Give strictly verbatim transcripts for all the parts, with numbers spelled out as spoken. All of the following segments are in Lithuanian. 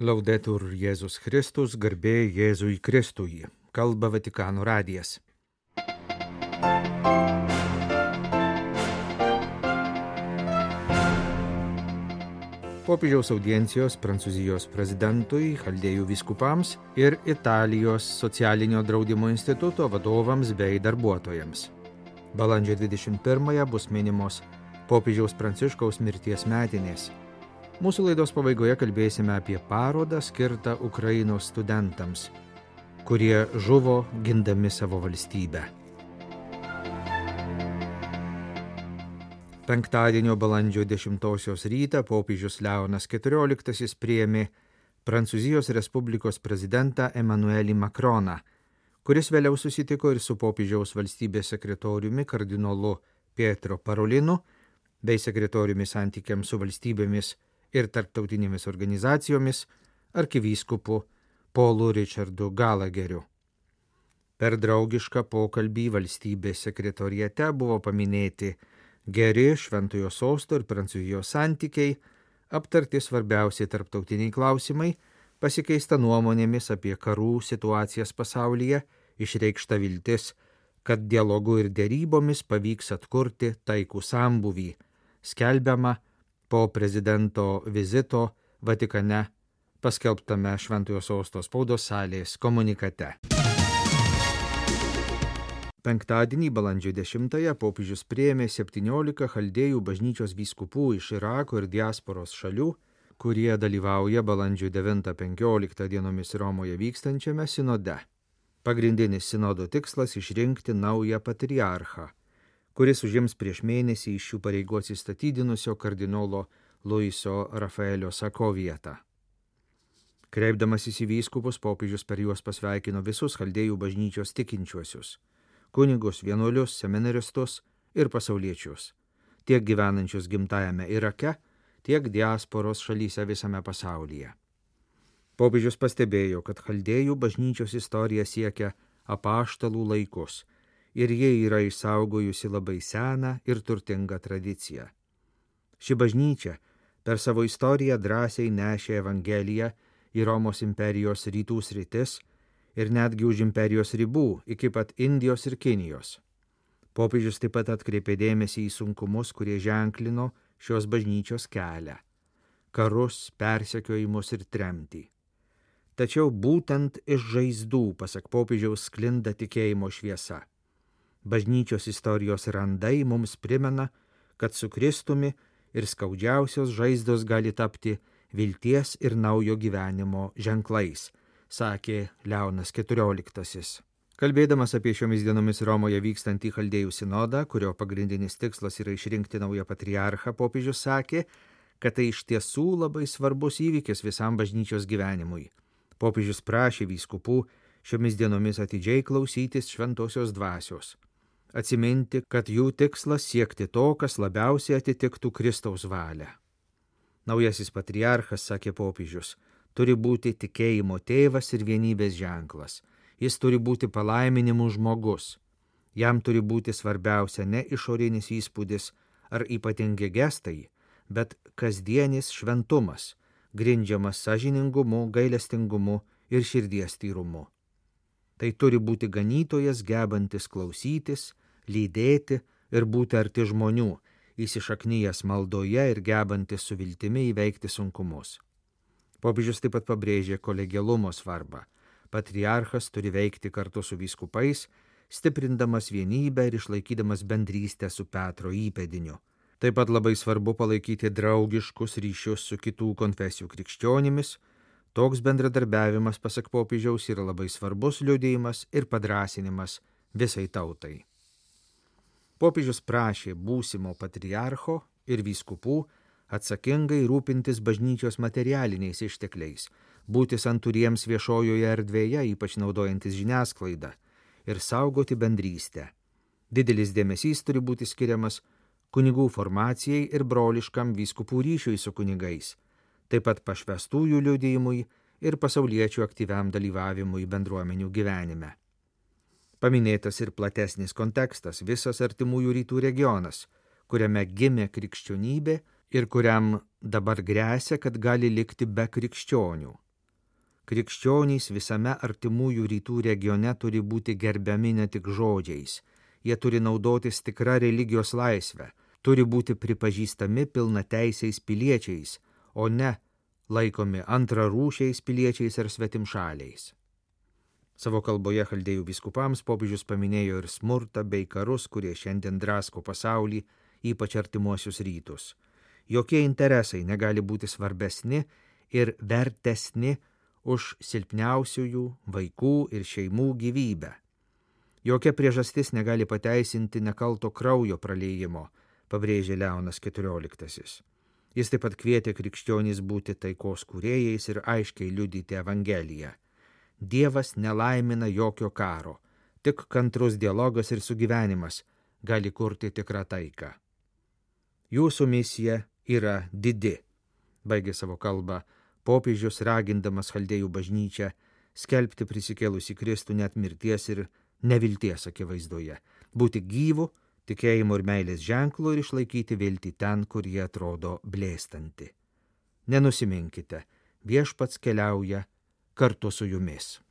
Laudetur Jėzus Kristus, garbė Jėzui Kristui. Kalba Vatikano radijas. Popiežiaus audiencijos Prancūzijos prezidentui, chaldėjų vyskupams ir Italijos socialinio draudimo instituto vadovams bei darbuotojams. Balandžio dvidešimt pirmąją bus minimos popiežiaus Pranciškaus mirties metinės. Mūsų laidos pabaigoje kalbėsime apie parodą skirtą Ukrainos studentams, kurie žuvo gindami savo valstybę. Penktadienio balandžio dešimtosios rytą popiežius Leonas keturioliktasis priėmė Prancūzijos Respublikos prezidentą Emmanuelį Macroną, kuris vėliau susitiko ir su popiežiaus valstybės sekretoriumi kardinolu Pietro Parolinu bei sekretoriumi santykiams su valstybėmis ir tarptautinėmis organizacijomis arkivyskupu Paulu Richardu Galageriu. Per draugišką pokalbį valstybės sekretoriate buvo paminėti geri Šventojo sosto ir Prancūzijos santykiai, aptarti svarbiausiai tarptautiniai klausimai, pasikeista nuomonėmis apie karų situacijas pasaulyje, išreikšta viltis, kad dialogu ir derybomis pavyks atkurti taikų sambūvį, skelbiama po prezidento vizito Vatikane paskelbtame Šventojo sosto spaudos salės komunikate. Penktadienį balandžio dešimtąją popiežius priėmė septyniolika chaldėjų bažnyčios vyskupų iš Irako ir diasporos šalių, kurie dalyvauja balandžio devintą penkioliktą dienomis Romoje vykstančiame sinode. Pagrindinis sinodo tikslas išrinkti naują patriarchą, kuris užims prieš mėnesį iš šių pareigų atsistatydinusio kardinolo Luiso Rafaelio Sako vietą. Kreipdamasis į vyskupus, popiežius per juos pasveikino visus chaldėjų bažnyčios tikinčiuosius, kunigus, vienuolius, seminaristus ir pasauliečius, tiek gyvenančius gimtajame Irake, tiek diasporos šalyse visame pasaulyje. Popiežius pastebėjo, kad chaldėjų bažnyčios istorija siekia apaštalų laikus ir jie yra išsaugojusi labai seną ir turtingą tradiciją. Ši bažnyčia per savo istoriją drąsiai nešė Evangeliją į Romos imperijos rytų sritis ir netgi už imperijos ribų iki pat Indijos ir Kinijos. Popiežius taip pat atkreipė dėmesį į sunkumus, kurie ženklino šios bažnyčios kelią – karus, persekiojimus ir tremtį. Tačiau būtent iš žaizdų, pasak popiežiaus, sklinda tikėjimo šviesa. Bažnyčios istorijos randai mums primena, kad su Kristumi ir skaudžiausios žaizdos gali tapti vilties ir naujo gyvenimo ženklais, sakė Leonas keturioliktasis. Kalbėdamas apie šiomis dienomis Romoje vykstantį chaldėjų sinodą, kurio pagrindinis tikslas yra išrinkti naują patriarchą, popiežius sakė, kad tai iš tiesų labai svarbus įvykis visam bažnyčios gyvenimui. Popiežius prašė vyskupų šiomis dienomis atidžiai klausytis šventosios dvasios, atsiminti, kad jų tikslas siekti to, kas labiausiai atitiktų Kristaus valią. Naujasis patriarchas, sakė popiežius, turi būti tikėjimo tėvas ir vienybės ženklas. Jis turi būti palaiminimų žmogus. Jam turi būti svarbiausia ne išorinis įspūdis ar ypatingi gestai, bet kasdienis šventumas, grindžiamas sąžiningumu, gailestingumu ir širdies tyrumu. Tai turi būti ganytojas, gebantis klausytis, lydėti ir būti arti žmonių, įsišaknyjęs maldoje ir gebantis su viltimi įveikti sunkumus. Popiežius taip pat pabrėžė kolegialumo svarbą. Patriarchas turi veikti kartu su vyskupais, stiprindamas vienybę ir išlaikydamas bendrystę su Petro įpėdiniu. Taip pat labai svarbu palaikyti draugiškus ryšius su kitų konfesijų krikščionimis. Toks bendradarbiavimas, pasak popiežiaus, yra labai svarbus liudijimas ir padrąsinimas visai tautai. Popiežius prašė būsimo patriarcho ir vyskupų atsakingai rūpintis bažnyčios materialiniais ištekliais, būti santūriems viešojoje erdvėje, ypač naudojantis žiniasklaidą, ir saugoti bendrystę. Didelis dėmesys turi būti skiriamas kunigų formacijai ir broliškam vyskupų ryšiui su kunigais, taip pat pašvęstųjų liudijimui ir pasauliečių aktyviam dalyvavimui bendruomenių gyvenime. Paminėtas ir platesnis kontekstas, visas artimųjų rytų regionas, kuriame gimė krikščionybė ir kuriam dabar gresia, kad gali likti be krikščionių. Krikščionys visame artimųjų rytų regione turi būti gerbiami ne tik žodžiais. Jie turi naudotis tikra religijos laisvę, turi būti pripažįstami pilnateisiais piliečiais, o ne laikomi antrarūšiais piliečiais ar svetimšaliais. Savo kalboje chaldėjų vyskupams popiežius paminėjo ir smurtą bei karus, kurie šiandien drasko pasaulį, ypač artimuosius rytus. Jokie interesai negali būti svarbesni ir vertesni už silpniausiųjų, vaikų ir šeimų gyvybę. Jokia priežastis negali pateisinti nekalto kraujo praliejimo, pabrėžė Leonas keturioliktasis. Jis taip pat kvietė krikščionys būti taikos kūrėjais ir aiškiai liudyti Evangeliją. Dievas nelaimina jokio karo, tik kantrus dialogas ir sugyvenimas gali kurti tikrą taiką. Jūsų misija yra didi, baigė savo kalbą popiežius, ragindamas chaldėjų bažnyčią skelbti prisikėlusį Kristų net mirties ir nevilties akivaizdoje, būti gyvu, tikėjimo ir meilės ženklu ir išlaikyti viltį ten, kur jie atrodo blėstanti. Nenusiminkite, viešpats keliauja kartu su jumis.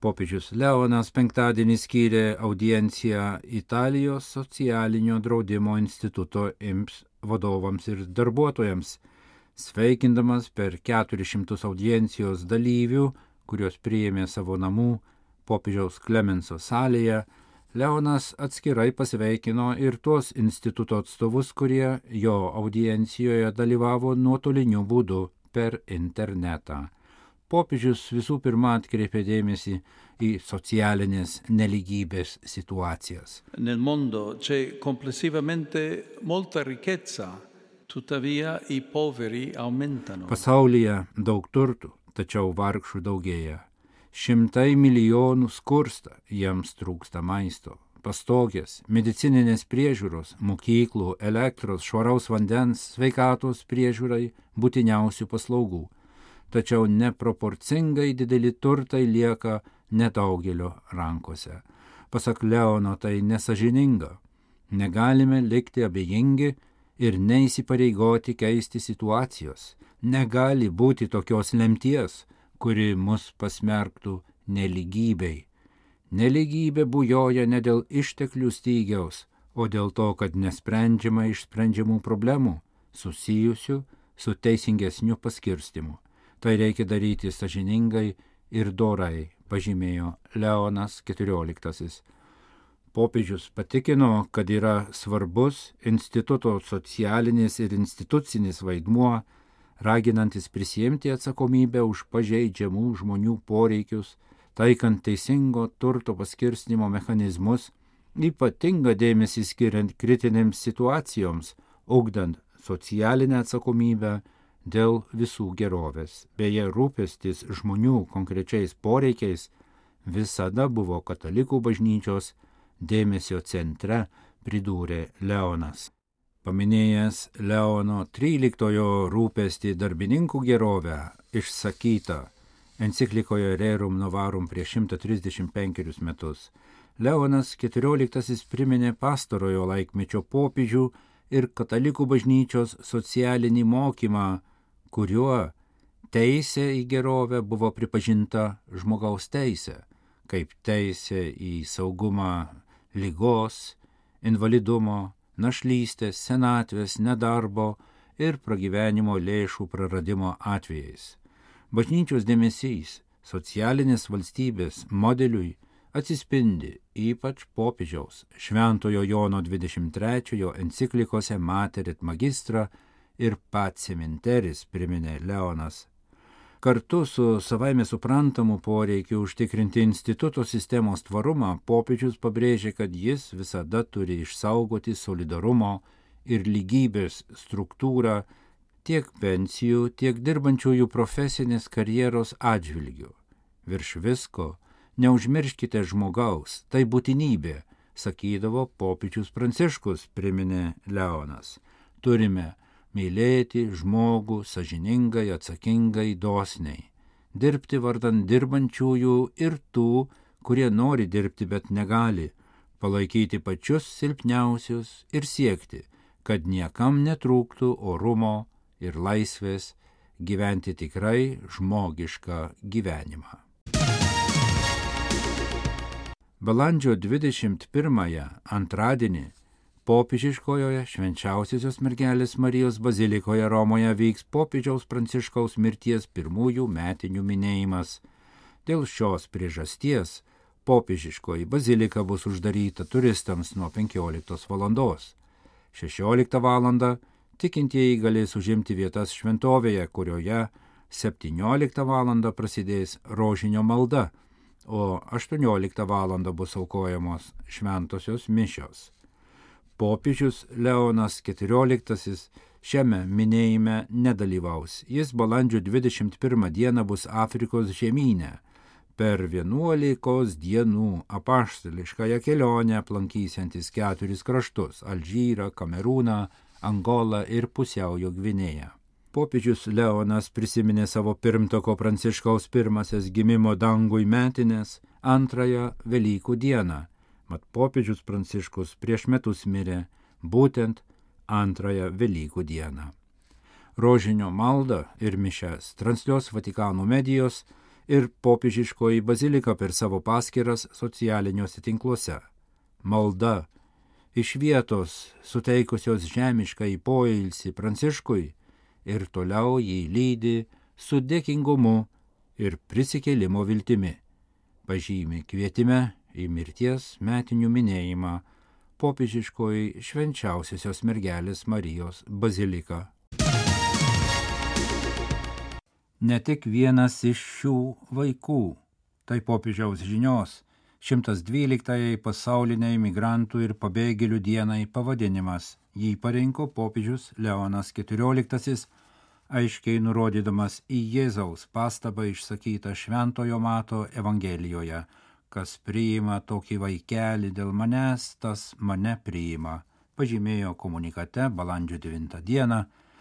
Popiežius Leonas penktadienį skyrė audienciją Italijos socialinio draudimo instituto I M S vadovams ir darbuotojams, sveikindamas per keturis šimtus audiencijos dalyvių, kurios priėmė savo namų popiežiaus Klemenso salėje. Leonas atskirai pasveikino ir tuos instituto atstovus, kurie jo audiencijoje dalyvavo nuotoliniu būdu per internetą. Popiežius visų pirma atkreipė dėmesį į socialinės nelygybės situacijas. Nel mondo c'è complessivamente molta ricchezza, tuttavia i poveri aumentano. Pasaulyje daug turtų, tačiau vargšų daugėja. Šimtai milijonų skursta, jiems trūksta maisto, pastogės, medicininės priežiūros, mokyklų, elektros, švaraus vandens, sveikatos priežiūrai, būtiniausių paslaugų. Tačiau neproporcingai dideli turtai lieka nedaugelio rankose. Pasak Leono, tai nesažininga. Negalime likti abejingi ir neįsipareigoti keisti situacijos. Negali būti tokios lemties, kuri mus pasmerktų nelygybei. Nelygybė bujoja ne dėl išteklių stygiaus, o dėl to, kad nesprendžiama išsprendžiamų problemų susijusių su teisingesniu paskirstimu. Tai reikia daryti sąžiningai ir dorai, pažymėjo Leonas keturioliktasis. Popiežius patikino, kad yra svarbus instituto socialinis ir institucinis vaidmuo, raginantis prisiimti atsakomybę už pažeidžiamų žmonių poreikius, taikant teisingo turto paskirstimo mechanizmus, ypatingą dėmesį skiriant kritinėms situacijoms, ugdant socialinę atsakomybę dėl visų gerovės. Beje, rūpestis žmonių konkrečiais poreikiais visada buvo katalikų bažnyčios dėmesio centre, pridūrė Leonas. Paminėjęs Leono tryliktojo rūpestį darbininkų gerovę, išsakytą enciklikoje Rerum Novarum prieš šimtą trisdešimt penkerius metus, Leonas keturioliktasis priminė pastarojo laikmečio popiežių ir katalikų bažnyčios socialinį mokymą, kuriuo teisė į gerovę buvo pripažinta žmogaus teisė, kaip teisė į saugumą ligos, invalidumo, našlystės, senatvės, nedarbo ir pragyvenimo lėšų praradimo atvejais. Bažnyčios dėmesys socialinės valstybės modeliui atsispindi ypač popiežiaus Šventojo Jono dvidešimt trečiojo enciklikose Mater et Magistra ir Pacem in Terris, priminė Leonas. Kartu su savaime suprantamu poreikiu užtikrinti instituto sistemos tvarumą, popiežius pabrėžė, kad jis visada turi išsaugoti solidarumo ir lygybės struktūrą tiek pensijų, tiek dirbančiųjų profesinės karjeros atžvilgių. Virš visko, neužmirškite žmogaus, tai būtinybė, sakydavo popiežius Pranciškus, priminė Leonas. Turime mylėti žmogų sąžiningai, atsakingai, dosniai, dirbti vardan dirbančiųjų ir tų, kurie nori dirbti, bet negali, palaikyti pačius silpniausius ir siekti, kad niekam netrūktų orumo ir laisvės gyventi tikrai žmogišką gyvenimą. Balandžio dvidešimt pirmąją antradienį popiežiškojoje Švenčiausiosios mergelės Marijos bazilikoje Romoje vyks popiežiaus Pranciškaus mirties pirmųjų metinių minėjimas. Dėl šios priežasties popiežiškoji bazilika bus uždaryta turistams nuo penkioliktos valandos. šešioliktą valandą tikintieji galės užimti vietas šventovėje, kurioje septynioliktą valandą prasidės rožinio malda, o aštuonioliktą valandą bus aukojamos šventosios mišios. Popiežius Leonas keturioliktasis šiame minėjime nedalyvaus. Jis balandžio dvidešimt pirmą dieną bus Afrikos žemyne. Per vienuolikos dienų apaštališkąją kelionę aplankysiantis keturis kraštus – Alžyrą, Kamerūną, Angolą ir Pusiaujo Gvinėją. Popiežius Leonas prisiminė savo pirmtako Pranciškaus pirmasias gimimo dangui metinės antrąją Velykų dieną. Mat popiežius Pranciškus prieš metus mirė būtent antrąją Velykų dieną. Rožinio maldą ir mišias transliuos Vatikano medijos ir popiežiškoji bazilika per savo paskyras socialiniuose tinkluose. Malda iš vietos suteikusios žemišką į poilsį Pranciškui ir toliau jį lydi su dėkingumu ir prisikėlimo viltimi. Pažymi kvietime į mirties metinių minėjimą popiežiškoji Švenčiausiosios mergelės Marijos bazilika. Ne tik vienas iš šių vaikų, tai popiežiaus žinios šimtas dvyliktajai pasauliniai migrantų ir pabėgėlių dienai pavadinimas. Jį parinko popiežius Leonas keturioliktasis, aiškiai nurodydamas į Jėzaus pastabą išsakytą Šventojo Mato Evangelijoje: kas priima tokį vaikelį dėl manęs, tas mane priima, pažymėjo komunikate balandžio devintą dieną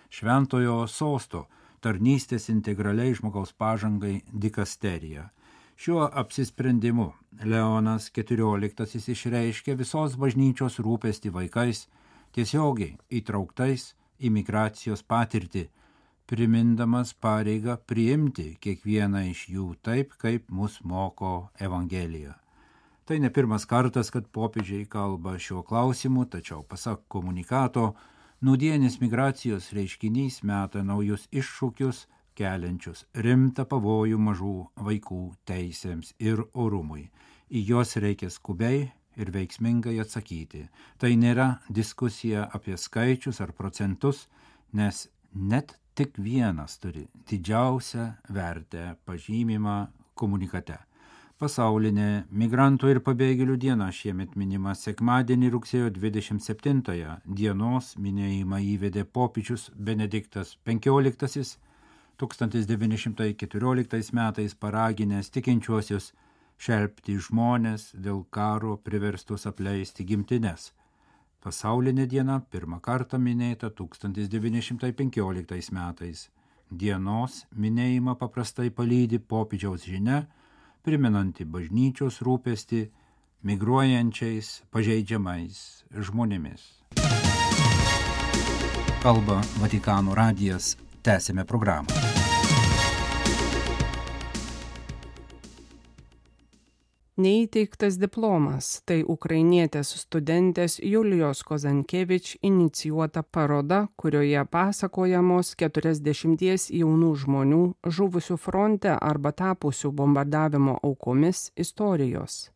Šventojo sosto tarnystės integraliai žmogaus pažangai dikasterija. Šiuo apsisprendimu Leonas keturioliktasis išreiškė visos bažnyčios rūpestį vaikais, tiesiogiai įtrauktais į migracijos patirtį, primindamas pareigą priimti kiekvieną iš jų taip, kaip mus moko Evangelija. Tai ne pirmas kartas, kad popiežiai kalba šiuo klausimu, tačiau pasak komunikato, nūdienis migracijos reiškinys meta naujus iššūkius, keliančius rimtą pavojų mažų vaikų teisėms ir orumui. Į juos reikia skubiai ir veiksmingai atsakyti. Tai nėra diskusija apie skaičius ar procentus, nes net tik vienas turi didžiausią vertę, pažymimą komunikate. Pasaulinė migrantų ir pabėgėlių diena šiemet minima sekmadienį rugsėjo dvidešimt septintąją. Dienos minėjimą įvedė popiežius Benediktas penkioliktasis, tūkstantis devyni šimtai keturioliktais metais paraginęs tikinčiuosius šelpti žmones dėl karo priverstus apleisti gimtines. Pasaulinė diena pirmą kartą minėta tūkstantis devyni šimtai penkioliktais metais. Dienos minėjimą paprastai palydi popiežiaus žinia, primenanti bažnyčios rūpestį migruojančiais, pažeidžiamais žmonėmis. Kalba Vatikano radijas. Tęsime programą. Neįteiktas diplomas – tai ukrainietės studentės Julijos Kozankevič inicijuota paroda, kurioje pasakojamos keturiasdešimties jaunų žmonių žuvusių fronte arba tapusių bombardavimo aukomis istorijos.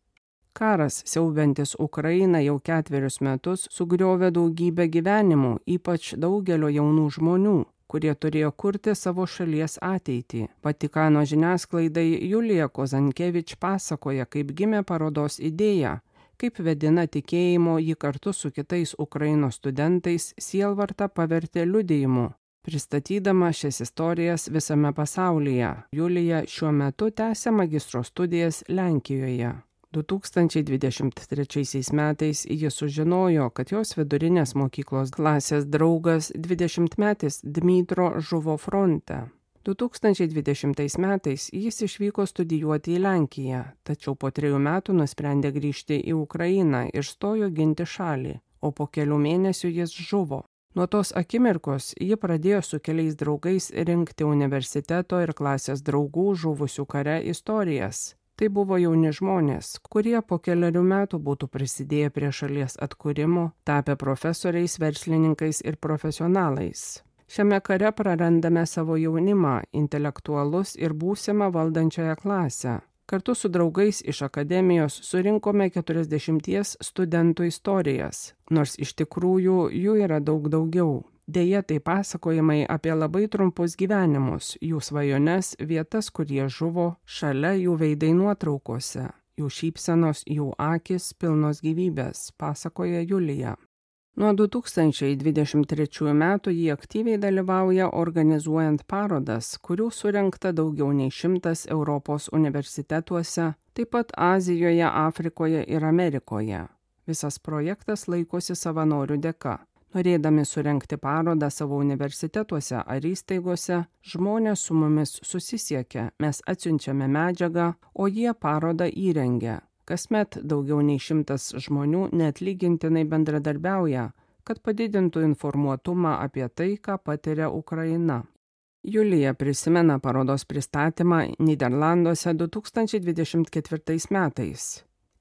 Karas, siaubiantis Ukrainą jau ketverius metus, sugriovė daugybę gyvenimų, ypač daugelio jaunų žmonių, kurie turėjo kurti savo šalies ateitį. Vatikano žiniasklaidai Julija Kozankevič pasakoja, kaip gimė parodos idėja, kaip vedina tikėjimo ji kartu su kitais Ukrainos studentais sielvartą pavertė liudijimu, pristatydama šias istorijas visame pasaulyje. Julija šiuo metu tęsia magistro studijas Lenkijoje. du tūkstančiai dvidešimt trečiaisiais metais jis sužinojo, kad jos vidurinės mokyklos klasės draugas dvidešimtmetis Dmitro žuvo fronte. du tūkstančiai dvidešimtais metais jis išvyko studijuoti į Lenkiją, tačiau po trejų metų nusprendė grįžti į Ukrainą ir stojo ginti šalį, o po kelių mėnesių jis žuvo. Nuo tos akimirkos ji pradėjo su keliais draugais rinkti universiteto ir klasės draugų žuvusių kare istorijas. Tai buvo jauni žmonės, kurie po keliarių metų būtų prisidėję prie šalies atkūrimo, tapę profesoriais, verslininkais ir profesionalais. Šiame kare prarandame savo jaunimą, intelektualus ir būsimą valdančiąją klasę. Kartu su draugais iš akademijos surinkome keturiasdešimties studentų istorijas, nors iš tikrųjų jų yra daug daugiau. Deja, tai pasakojimai apie labai trumpus gyvenimus, jų svajones, vietas, kur jie žuvo, šalia jų veidai nuotraukose, jų šypsenos, jų akis pilnos gyvybės, pasakoja Julija. Nuo du tūkstančiai dvidešimt trečiųjų metų ji aktyviai dalyvauja organizuojant parodas, kurių surengta daugiau nei šimtas Europos universitetuose, taip pat Azijoje, Afrikoje ir Amerikoje. Visas projektas laikosi savanorių dėka. Norėdami surengti parodą savo universitetuose ar įstaigose, žmonės su mumis susisiekia, mes atsiunčiame medžiagą, o jie parodą įrengia. Kasmet daugiau nei šimtas žmonių neatlygintinai bendradarbiauja, kad padidintų informuotumą apie tai, ką patiria Ukraina. Julija prisimena parodos pristatymą Nyderlanduose du tūkstančiai dvidešimt ketvirtais metais.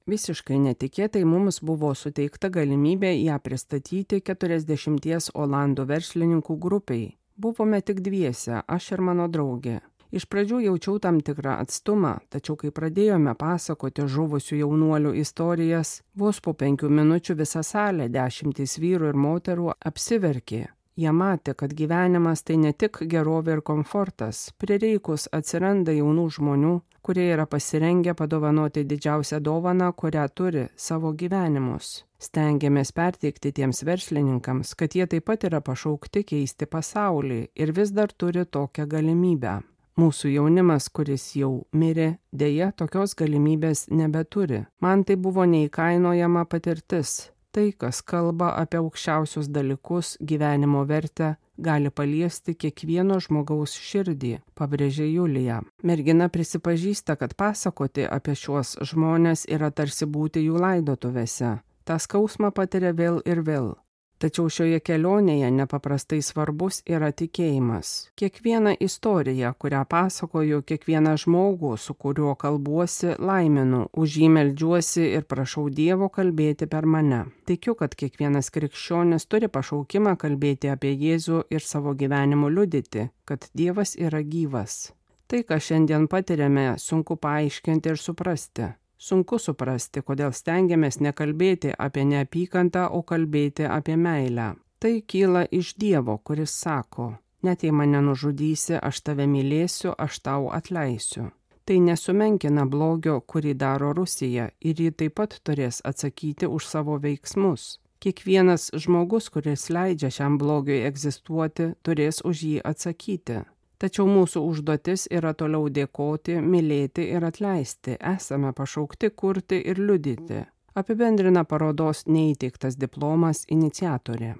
Visiškai netikėtai mums buvo suteikta galimybė ją pristatyti keturiasdešimties olandų verslininkų grupiai. Buvome tik dviese, aš ir mano draugė. Iš pradžių jaučiau tam tikrą atstumą, tačiau kai pradėjome pasakoti žuvusių jaunuolių istorijas, vos po penkių minučių visa salė, dešimtys vyrų ir moterų apsiverkė. Jie matė, kad gyvenimas tai ne tik gerovė ir komfortas, prireikus atsiranda jaunų žmonių, kurie yra pasirengę padovanoti didžiausią dovaną, kurią turi – savo gyvenimus. Stengiamės perteikti tiems verslininkams, kad jie taip pat yra pašaukti keisti pasaulį ir vis dar turi tokią galimybę. Mūsų jaunimas, kuris jau mirė, deja tokios galimybės nebeturi. Man tai buvo neįkainojama patirtis. Tai, kas kalba apie aukščiausius dalykus, gyvenimo vertę, gali paliesti kiekvieno žmogaus širdį, pabrėžė Julija. Mergina prisipažįsta, kad pasakoti apie šiuos žmones yra tarsi būti jų laidotuvėse. tą skausmą patiria vėl ir vėl. Tačiau šioje kelionėje nepaprastai svarbus yra tikėjimas. Kiekvieną istoriją, kurią pasakoju, kiekvieną žmogų, su kuriuo kalbuosi, laiminu, už jį meldžiuosi ir prašau Dievo kalbėti per mane. Tikiu, kad kiekvienas krikščionis turi pašaukimą kalbėti apie Jėzų ir savo gyvenimu liudyti, kad Dievas yra gyvas. Tai, ką šiandien patiriame, sunku paaiškinti ir suprasti. Sunku suprasti, kodėl stengiamės nekalbėti apie neapykantą, o kalbėti apie meilę. Tai kyla iš Dievo, kuris sako, net jei mane nužudysi, aš tave mylėsiu, aš tau atleisiu. Tai nesumenkina blogio, kurį daro Rusija, ir ji taip pat turės atsakyti už savo veiksmus. Kiekvienas žmogus, kuris leidžia šiam blogiui egzistuoti, turės už jį atsakyti. Tačiau mūsų užduotis yra toliau dėkoti, mylėti ir atleisti. Esame pašaukti kurti ir liudyti. Apibendrina parodos neįteiktas diplomas iniciatorė.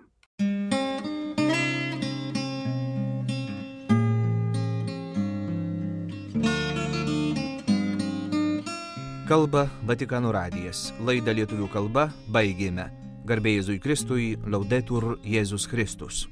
Kalba Vatikano radijas. Laidą lietuvių kalba baigėme. Garbė Jėzui Kristui, Laudetur Jėzus Kristus.